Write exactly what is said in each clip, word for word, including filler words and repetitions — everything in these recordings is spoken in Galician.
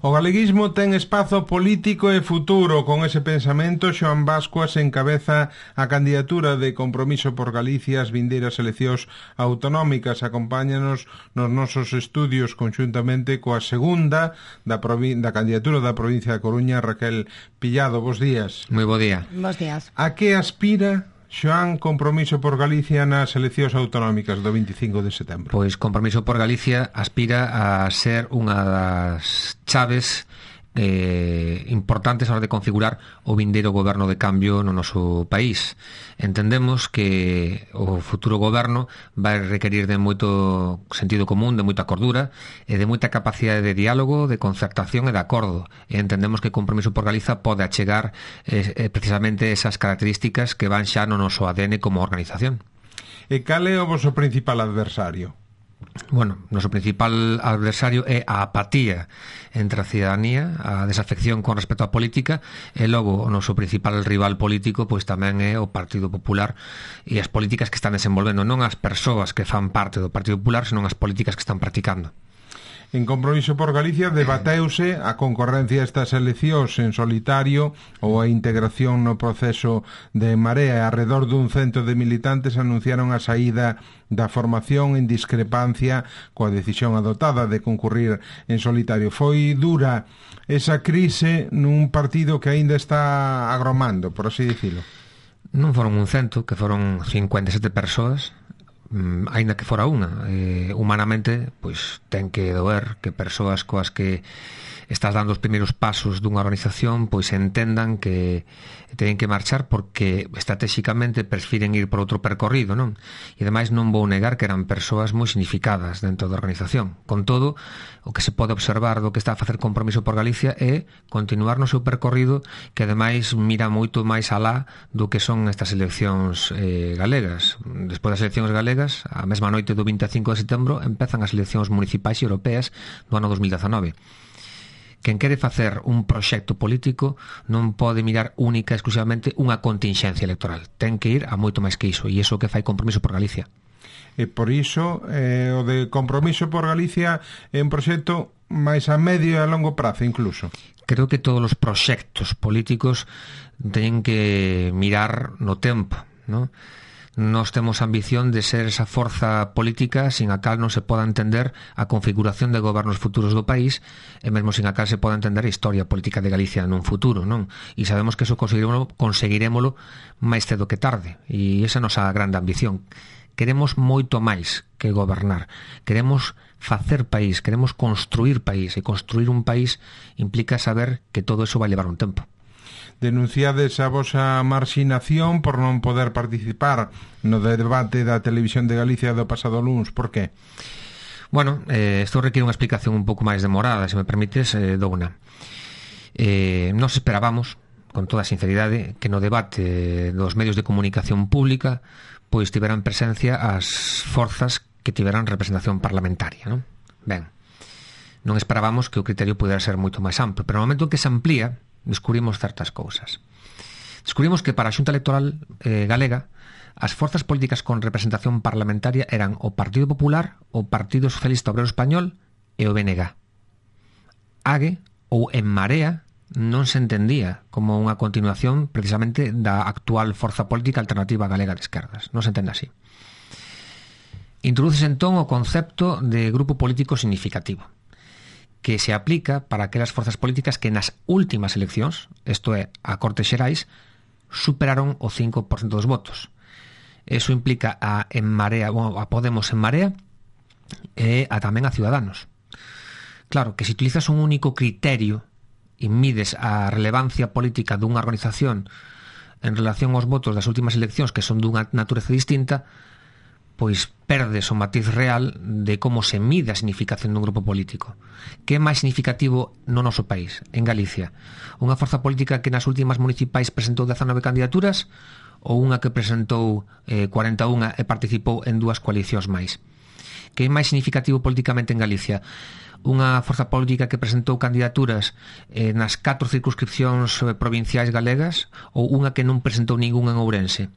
O galeguismo ten espazo político e futuro. Con ese pensamento, Xoán Bascuas encabeza a candidatura de Compromiso por Galicia ás vindeiras eleccións autonómicas. Acompáñanos nos nosos estudios conxuntamente coa segunda da, da candidatura da provincia da Coruña, Raquel Pillado. Bos días. Moi bo día. Bos días. A que aspira Xoán Compromiso por Galicia nas eleccións autonómicas do veinticinco de setembro? Pois Compromiso por Galicia aspira a ser unha das chaves eh, importantes a hora de configurar o vindeiro goberno de cambio no noso país. Entendemos que o futuro goberno vai requerir de moito sentido común, de moita cordura e de moita capacidade de diálogo, de concertación e de acordo. E entendemos que Compromiso por Galiza pode achegar eh, precisamente esas características que van xa no noso A D N como organización. E cal é o voso principal adversario? Bueno, noso principal adversario é a apatía entre a cidadanía, a desafección con respecto á política, e logo o noso principal rival político pois tamén é o Partido Popular e as políticas que están desenvolvendo, non as persoas que fan parte do Partido Popular, senón as políticas que están practicando. En Compromiso por Galicia debateuse a concorrencia estas eleccións en solitario ou a integración no proceso de Marea. Arredor dun cento de militantes anunciaron a saída da formación en discrepancia coa decisión adotada de concurrir en solitario. Foi dura esa crise nun partido que aínda está agromando, por así dicilo. Non foron un cento, que foron cincuenta e sete persoas, aínda que fora unha. Eh, humanamente, pois ten que doer que persoas coas que estás dando os primeiros pasos dunha organización pois entendan que teñen que marchar porque estratégicamente prefiren ir por outro percorrido, non? E ademais non vou negar que eran persoas moi significadas dentro da organización. Con todo, o que se pode observar do que está a facer Compromiso por Galicia é continuar no seu percorrido, que ademais mira moito máis alá do que son estas eleccións eh, galegas. Despois das eleccións galegas, a mesma noite do vinte e cinco de setembro, empezan as eleccións municipais e europeas do ano dos mil dezanove. Quen quere facer un proxecto político non pode mirar única e exclusivamente unha continxencia electoral. Ten que ir a moito máis que iso, e iso que fai Compromiso por Galicia. E por iso, eh, o de Compromiso por Galicia é un proxecto máis a medio e a longo prazo incluso. Creo que todos os proxectos políticos teñen que mirar no tempo, non? Nós temos a ambición de ser esa forza política sin a cal non se poda entender a configuración de gobernos futuros do país e mesmo sin a cal se poda entender a historia política de Galicia nun futuro, non? E sabemos que eso conseguirémolo, conseguirémolo máis cedo que tarde, e esa é a nosa grande ambición. Queremos moito máis que gobernar, queremos facer país, queremos construir país, e construir un país implica saber que todo eso vai levar un tempo. Denunciades a vosa marxinación por non poder participar no debate da Televisión de Galicia do pasado luns. Por qué? Bueno, eh, isto requiere unha explicación un pouco máis demorada, se me permites, eh, dou unha. Eh, nos esperábamos, con toda a sinceridade, que no debate dos medios de comunicación pública pois tiveran presencia as forzas que tiveran representación parlamentaria, non? Ben, non esperábamos que o criterio pudera ser moito máis amplo, pero no momento en que se amplía, descubrimos certas cousas. Descubrimos que para a Xunta Electoral eh, galega as forzas políticas con representación parlamentaria eran o Partido Popular, o Partido Socialista Obrero Español e o B N G. AGE ou En Marea non se entendía como unha continuación precisamente da actual forza política alternativa galega de esquerdas. Non se entende así. Introduces entón o concepto de grupo político significativo, que se aplica para aquelas forzas políticas que nas últimas eleccións, isto é, a Cortes Xerais, superaron o cinco por cento dos votos. Eso implica a En Marea, bueno, a Podemos En Marea e a tamén a Ciudadanos. Claro, que se utilizas un único criterio e mides a relevancia política dunha organización en relación aos votos das últimas eleccións que son dunha natureza distinta, pois perdes o matiz real de como se mide a significación dun grupo político. Que é máis significativo no noso país, en Galicia? Unha forza política que nas últimas municipais presentou dezanove candidaturas ou unha que presentou eh, cuarenta e unha e participou en dúas coalicións máis? Que é máis significativo políticamente en Galicia? Unha forza política que presentou candidaturas eh, nas catro circunscripcións provinciais galegas ou unha que non presentou ningún en Ourense?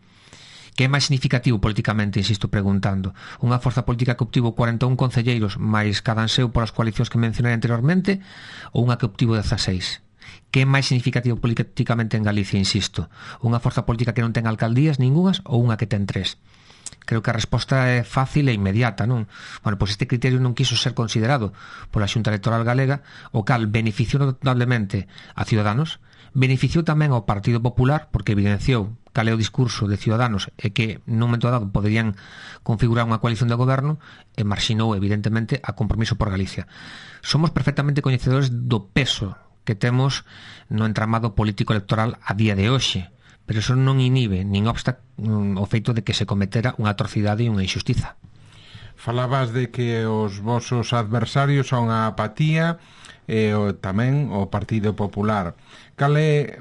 Que é máis significativo políticamente, insisto, preguntando? Unha forza política que obtivo cuarenta e un concelleiros máis cada anseu polas coalicións que mencionei anteriormente, ou unha que obtivo dezaseis? Que é máis significativo políticamente en Galicia, insisto? Unha forza política que non ten alcaldías ningunhas ou unha que ten tres? Creo que a resposta é fácil e inmediata, non? Bueno, pois este criterio non quiso ser considerado pola Xunta Electoral Galega, o cal beneficiou notablemente a Ciudadanos, beneficiou tamén ao Partido Popular, porque evidenciou cal é o discurso de Ciudadanos e que nun momento dado poderían configurar unha coalición de goberno, e marxinou evidentemente a Compromiso por Galicia. Somos perfectamente coñecedores do peso que temos no entramado político electoral a día de hoxe, pero eso non inhibe, nin obsta o feito de que se cometera unha atrocidade e unha injustiza. Falabas de que os vosos adversarios son a apatía e o, tamén o Partido Popular. Cal é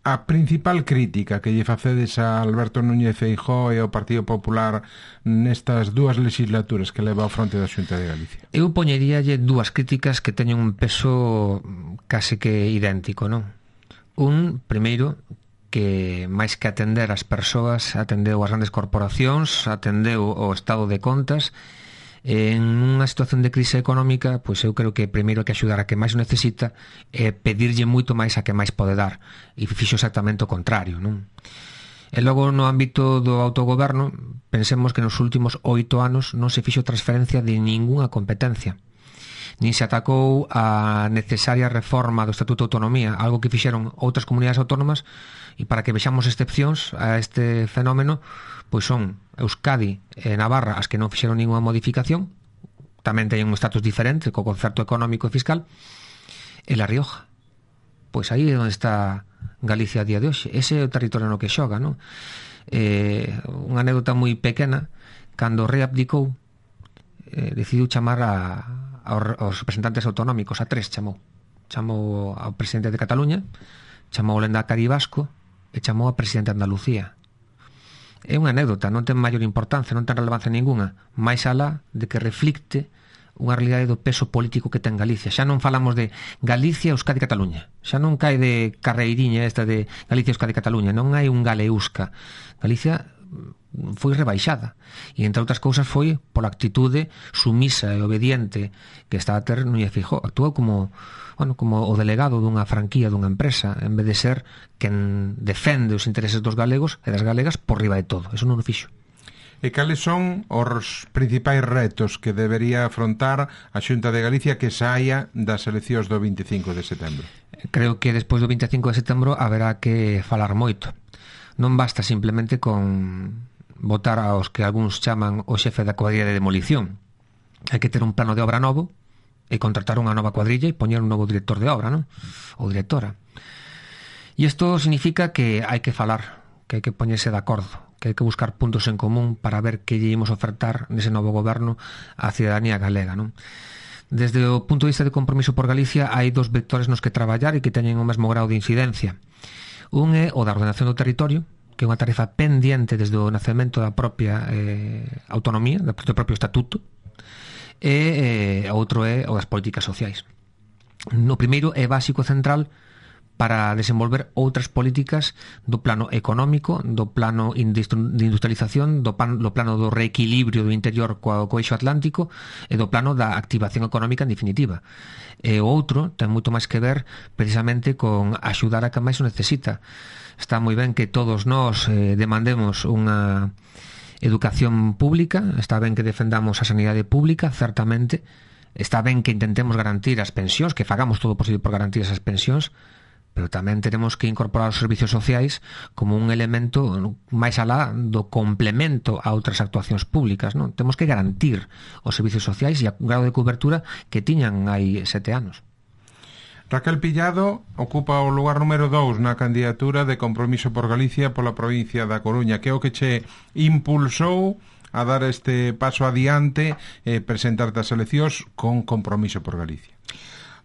a principal crítica que lle facedes a Alberto Núñez Feijóo e ao Partido Popular nestas dúas legislaturas que leva ao fronte da Xunta de Galicia? Eu poñeríalle dúas críticas que teñen un peso case que idéntico, non? Un, primeiro, que máis que atender as persoas, atendeu as grandes corporacións, atendeu o estado de contas. En unha situación de crise económica, pois eu creo que primeiro que axudar a que máis o necesita é pedirlle moito máis a que máis pode dar, e fixo exactamente o contrario, non? E logo no ámbito do autogoberno, pensemos que nos últimos oito anos non se fixo transferencia de ningunha competencia, nin se atacou a necesaria reforma do Estatuto de Autonomía, algo que fixeron outras comunidades autónomas. E para que vexamos excepcións a este fenómeno, pois son Euskadi e Navarra as que non fixeron ninguna modificación, tamén teñen un estatus diferente co concerto económico e fiscal, e La Rioja. Pois aí é onde está Galicia a día de hoxe. Ese é o territorio no que xoga, non? Eh, unha anécdota moi pequena, cando o rei abdicou, eh, decidiu chamar a, aos representantes autonómicos, a tres chamou. Chamou ao presidente de Cataluña, chamou ao Lendakari vasco, e chamou a presidente de Andalucía. É unha anécdota, non ten maior importancia, non ten relevancia ninguna, máis alá de que reflicte unha realidade do peso político que ten Galicia. Xa non falamos de Galicia, Euskadi e Cataluña, xa non cae de carreiriña esta de Galicia, Euskadi e Cataluña, non hai un Galeusca. Galicia foi rebaixada, e entre outras cousas foi pola actitude sumisa e obediente que está a ter Núñez Feijóo. Actuou como bueno, como o delegado dunha franquía dunha empresa, en vez de ser quen defende os intereses dos galegos e das galegas por riba de todo. Eso non o fixo. E cales son os principais retos que debería afrontar a Xunta de Galicia que saia das eleccións do vinte e cinco de setembro? Creo que despois do vinte e cinco de setembro haberá que falar moito. Non basta simplemente con votar aos que algúns chaman o xefe da cuadrilla de demolición. Hai que ter un plano de obra novo e contratar unha nova cuadrilla e poñer un novo director de obra, non? Ou directora. E isto significa que hai que falar, que hai que poñerse de acordo, que hai que buscar puntos en común para ver que lle imos ofertar nese novo goberno á cidadanía galega, non? Desde o punto de vista de Compromiso por Galicia hai dos vectores nos que traballar e que teñen o mesmo grau de incidencia. Un é o da ordenación do territorio, que é unha tarefa pendiente desde o nacemento da propia eh, autonomía, do propio estatuto, e eh, outro é o das políticas sociais. No primeiro é básico central para desenvolver outras políticas do plano económico, do plano de industrialización, do, pan, do plano do reequilibrio do interior co, co eixo atlántico e do plano da activación económica en definitiva. E o outro ten moito máis que ver precisamente con axudar a que máis o necesita. Está moi ben que todos nós eh, demandemos unha educación pública, está ben que defendamos a sanidade pública, certamente, está ben que intentemos garantir as pensións, que fagamos todo o posible por garantir esas pensións, pero tamén tenemos que incorporar os servicios sociais como un elemento máis alá do complemento a outras actuacións públicas, non? Temos que garantir os servicios sociais e o grado de cobertura que tiñan hai sete anos. Raquel Pillado ocupa o lugar número dous na candidatura de Compromiso por Galicia pola provincia da Coruña. Que é o que che impulsou a dar este paso adiante e presentarte as eleccións con Compromiso por Galicia?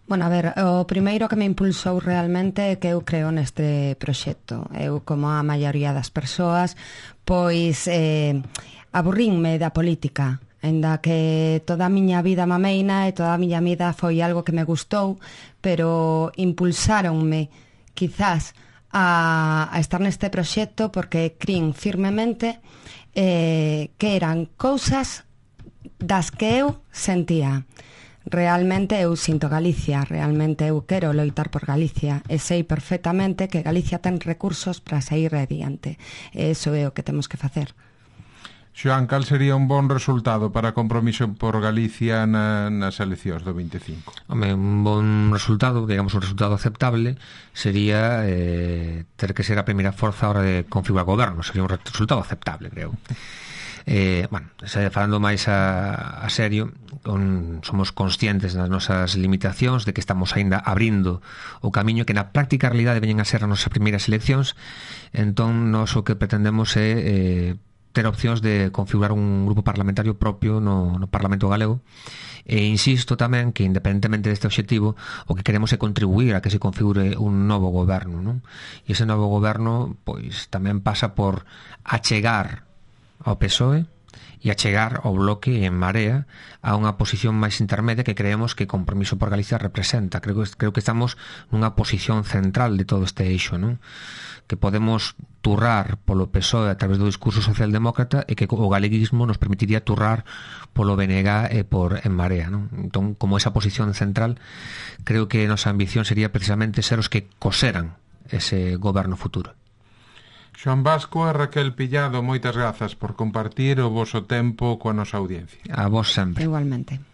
Bueno, a ver, o primeiro que me impulsou realmente é que eu creo neste proxecto. Eu, como a maioría das persoas, pois eh, aburrínme da política, enda que toda a miña vida mameina e toda a miña vida foi algo que me gustou, pero impulsáronme quizás a, a estar neste proxecto porque crin firmemente eh, que eran cousas das que eu sentía. Realmente eu sinto Galicia, realmente eu quero loitar por Galicia e sei perfectamente que Galicia ten recursos para sair adiante. E iso é o que temos que facer. Xoán, cal sería un bon resultado para Compromiso por Galicia na, nas eleccións do vinte e cinco? Home, un bon resultado, digamos un resultado aceptable, sería eh, ter que ser a primeira forza a hora de configurar goberno. Sería un resultado aceptable, creo. Eh, bueno, falando máis a, a serio, con, somos conscientes das nosas limitacións, de que estamos aínda abrindo o camiño que na práctica realidade veñen a ser as nosas primeiras eleccións. Entón, nós o que pretendemos é eh, ter opcións de configurar un grupo parlamentario propio no, no Parlamento Galego. E insisto tamén que, independentemente deste objetivo, o que queremos é contribuir a que se configure un novo goberno, non? E ese novo goberno pois tamén pasa por achegar ao P S O E e achegar ao Bloque en Marea a unha posición máis intermedia que creemos que Compromiso por Galicia representa. Creo que, creo que estamos nunha posición central de todo este eixo, non? Que podemos turrar polo P S O E a través do discurso socialdemócrata e que o galeguismo nos permitiría turrar polo B N G e por En Marea, non? Entón, como esa posición central, creo que a nosa ambición sería precisamente ser os que coseran ese goberno futuro. Xoán Basco e Raquel Pillado, moitas grazas por compartir o voso tempo coa nosa audiencia. A vos sempre. Igualmente.